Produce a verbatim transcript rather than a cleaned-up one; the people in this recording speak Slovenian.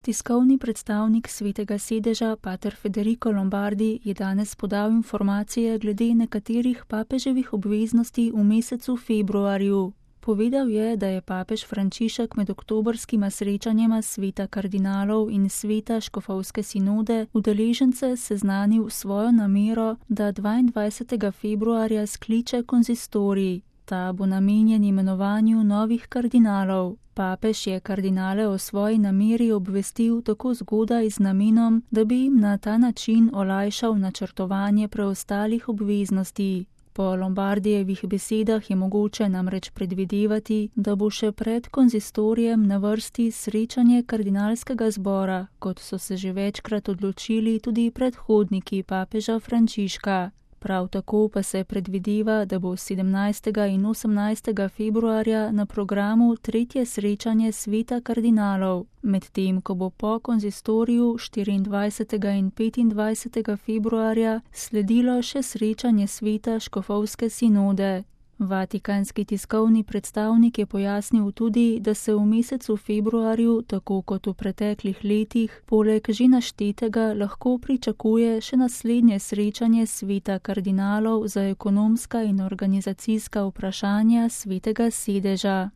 Tiskovni predstavnik Svetega sedeža, pater Federico Lombardi, je danes podal informacije glede nekaterih papeževih obveznosti v mesecu februarju. Povedal je, da je papež Frančišek med oktobrskima srečanjema sveta kardinalov in sveta škofovske sinode udeležence seznanil svojo namero, da dvaindvajsetega februarja skliče konzistorij. Ta bo namenjen imenovanju novih kardinalov. Papež je kardinale o svoji nameri obvestil tako zgodaj z namenom, da bi jim na ta način olajšal načrtovanje preostalih obveznosti. Po Lombardijevih besedah je mogoče namreč predvidevati, da bo še pred konzistorijem na vrsti srečanje kardinalskega zbora, kot so se že večkrat odločili tudi predhodniki papeža Frančiška. Prav tako pa se predvideva, da bo sedemnajstega in osemnajstega februarja na programu tretje srečanje sveta kardinalov, medtem ko bo po konzistoriju štiriindvajsetega in petindvajsetega februarja sledilo še srečanje sveta škofovske sinode. Vatikanski tiskovni predstavnik je pojasnil tudi, da se v mesecu februarju, tako kot v preteklih letih, poleg že naštetega lahko pričakuje še naslednje srečanje sveta kardinalov za ekonomska in organizacijska vprašanja Svetega sedeža.